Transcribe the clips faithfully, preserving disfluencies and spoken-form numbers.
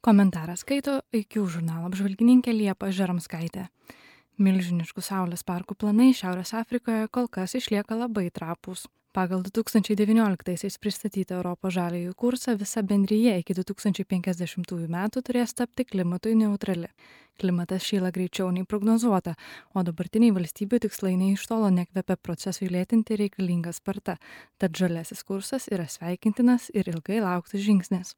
Komentarą skaito I Q žurnalo apžvalgininkė Liepa Žeromskaitė. Milžiniškų saulės parkų planai Šiaurės Afrikoje kol kas išlieka labai trapūs. Pagal du tūkstančiai devynioliktaisiais pristatytą Europos žaliąjį kursą visa bendrija iki du tūkstančiai penkiasdešimtųjų metų turės tapti klimatui neutrali. Klimatas šyla greičiau nei prognozuota, o dabartiniai valstybių tikslai nei iš tolo nekvepia procesui lėtinti reikalinga sparta, tad žaliasis kursas yra sveikintinas ir ilgai lauktas žingsnis.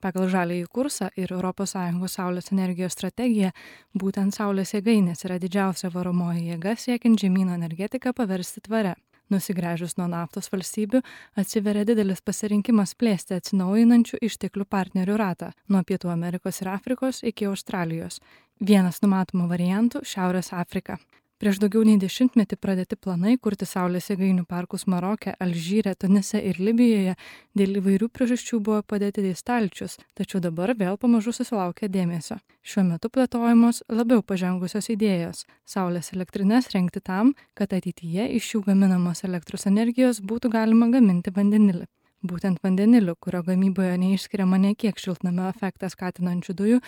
Pagal žaliąjį kursą ir Europos Sąjungos saulės energijos strategiją, būtent saulės jėgainės yra didžiausia varomoji jėga siekiant žemyno energetiką paversti tvare. Nusigręžus nuo naftos valstybių, atsiveria didelis pasirinkimas plėsti atsinaujinančių išteklių partnerių ratą nuo Pietų Amerikos ir Afrikos iki Australijos. Vienas numatomų variantų – Šiaurės Afrika. Prieš daugiau nei dešimtmetį pradėti planai kurti saulės jėgainių parkus Maroke, Alžyre, Tunise ir Libijoje dėl įvairių priežasčių buvo padėti į stalčius, tačiau dabar vėl pamažu susilaukia dėmesio. Šiuo metu plėtojamos labiau pažengusios idėjos – saulės elektrines rengti tam, kad ateityje iš jų gaminamos elektros energijos būtų galima gaminti vandenilį. Būtent vandeniliu, kurio gamyboje neišskiriama ne kiek šiltnamio efektą skatinančių dujų,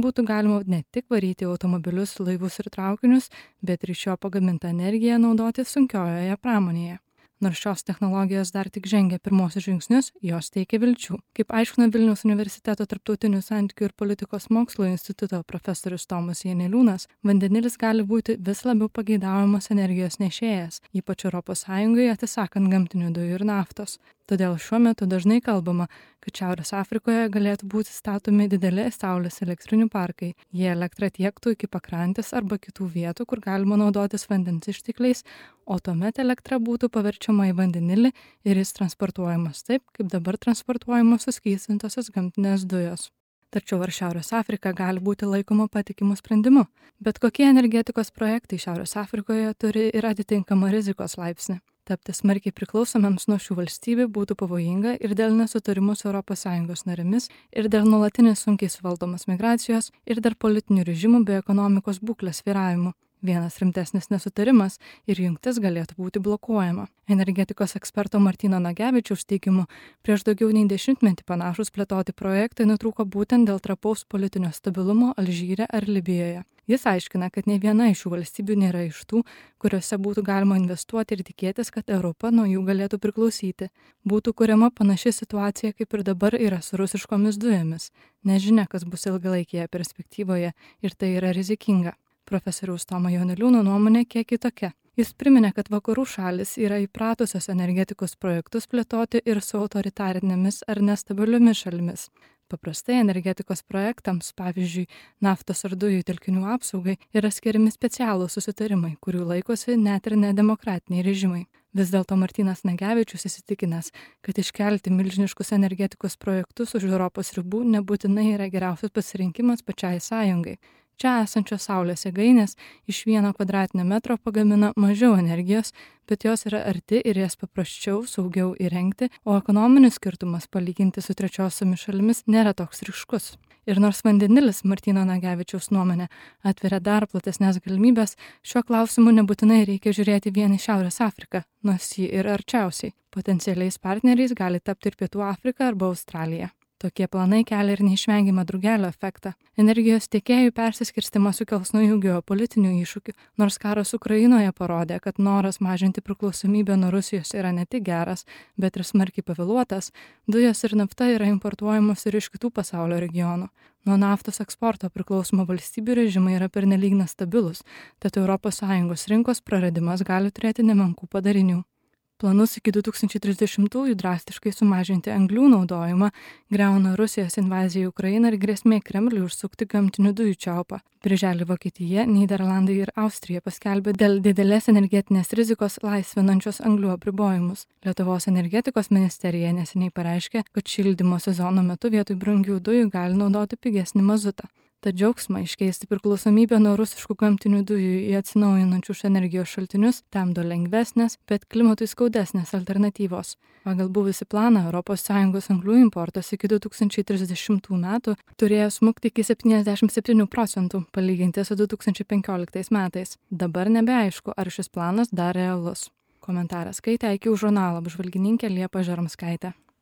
būtų galima ne tik varyti automobilius, laivus ir traukinius, bet ir iš jo pagamintą energiją naudoti sunkiojoje pramonėje. Nors šios technologijos dar tik žengia pirmosius žingsnius, jos teikia vilčių. Kaip aiškina Vilniaus universiteto tarptautinių santykių ir politikos mokslo instituto profesorius Tomas Janeliūnas, vandenilis gali būti vis labiau pageidaujamas energijos nešėjas, ypač Europos Sąjungoje atsisakant gamtinių dujų ir naftos. Todėl šiuo metu dažnai kalbama, kad Šiaurės Afrikoje galėtų būti statomi dideli saulės elektrinių parkai. Jie elektrą tiektų iki pakrantės arba kitų vietų, kur galima naudotis vandens ištekliais, o tuomet elektra būtų paverčiama į vandenilį ir jis transportuojamas taip, kaip dabar transportuojamos suskystintosios gamtinės dujos. Tačiau ar Šiaurės Afrika gali būti laikoma patikimu sprendimu? Bet kokie energetikos projektai Šiaurės Afrikoje turi ir atitinkamą rizikos laipsnį? Tapti smarkiai priklausomiems nuo šių valstybių būtų pavojinga ir dėl nesutarimų su Europos Sąjungos narėmis, ir dėl nuolatinės sunkiai suvaldomos migracijos, ir dėl politinių režimų bei ekonomikos būklės svyravimų. Vienas rimtesnis nesutarimas ir jungtis galėtų būti blokuojama. Energetikos eksperto Martyno Nagevičiaus teigimu, prieš daugiau nei dešimtmetį panašūs plėtoti projektai nutrūko būtent dėl trapaus politinio stabilumo Alžyre ar Libijoje. Jis aiškina, kad nei viena iš šių valstybių nėra iš tų, kuriuose būtų galima investuoti ir tikėtis, kad Europa nuo jų galėtų priklausyti. Būtų kuriama panaši situacija, kaip ir dabar yra su rusiškomis dujomis. Nežinia, kas bus ilgalaikėje perspektyvoje ir tai yra rizikinga. Profesoriaus Tomo Janeliūno nuomonė kiek kitokia. Jis priminė, kad vakarų šalis yra įpratusios energetikos projektus plėtoti ir su autoritarinėmis ar nestabiliomis šalimis. Paprastai energetikos projektams, pavyzdžiui, naftos ar dujų telkinių apsaugai, yra skiriami specialūs susitarimai, kurių laikosi net ir nedemokratiniai režimai. Vis dėlto Martynas Nagevičius įsitikinęs, kad iškelti milžiniškus energetikos projektus už Europos ribų nebūtinai yra geriausias pasirinkimas pačiai sąjungai. Čia esančios saulės jėgainės iš vieno kvadratinio metro pagamina mažiau energijos, bet jos yra arti ir jas paprasčiau, saugiau įrengti, o ekonominis skirtumas palyginti su trečiosiomis šalimis nėra toks ryškus. Ir nors vandenilis, Martyno Nagevičiaus nuomonė, atveria dar platesnės galimybės, šiuo klausimu nebūtinai reikia žiūrėti vien į Šiaurės Afriką, nors ji ir arčiausiai. Potencialiais partneriais gali tapti ir Pietų Afrika arba Australija. Tokie planai kelia ir neišvengiamą drugelio efektą. Energijos tiekėjų persiskirstimas sukels naujų geopolitinių iššūkių, nors karas Ukrainoje parodė, kad noras mažinti priklausomybę nuo Rusijos yra ne tik geras, bet ir smarkiai pavėluotas, dujos ir nafta yra importuojamos ir iš kitų pasaulio regionų. Nuo naftos eksporto priklausomų valstybių režimai yra pernelyg nestabilus, tad Europos Sąjungos rinkos praradimas gali turėti nemenkų padarinių. Planus iki du tūkstančiai trisdešimtųjų drastiškai sumažinti anglių naudojimą griauna Rusijos invazija į Ukrainą ir grėsmė Kremliui užsukti gamtinių dujų čiaupą. Birželį Vokietija, Nyderlandai ir Austrija paskelbė dėl didelės energetinės rizikos laisvinančios anglių apribojimus. Lietuvos energetikos ministerija neseniai pareiškė, kad šildymo sezono metu vietoj brangių dujų gali naudoti pigesnį mazutą. Tad džiaugsmą iškeisti priklausomybę nuo rusiškų gamtinių dujų į atsinaujinančius energijos šaltinius temdo lengvesnės, bet klimatui skaudesnės alternatyvos. Pagal buvusį planą Europos Sąjungos anglių importas iki du tūkstančiai trisdešimtų metų turėjo smukti iki septyniasdešimt septynių procentų, palyginti su du tūkstančiai penkioliktais metais. Dabar nebeaišku, ar šis planas dar realus. Komentarą skaitė I Q žurnalo apžvalgininkė Liepa Žeromskaitė.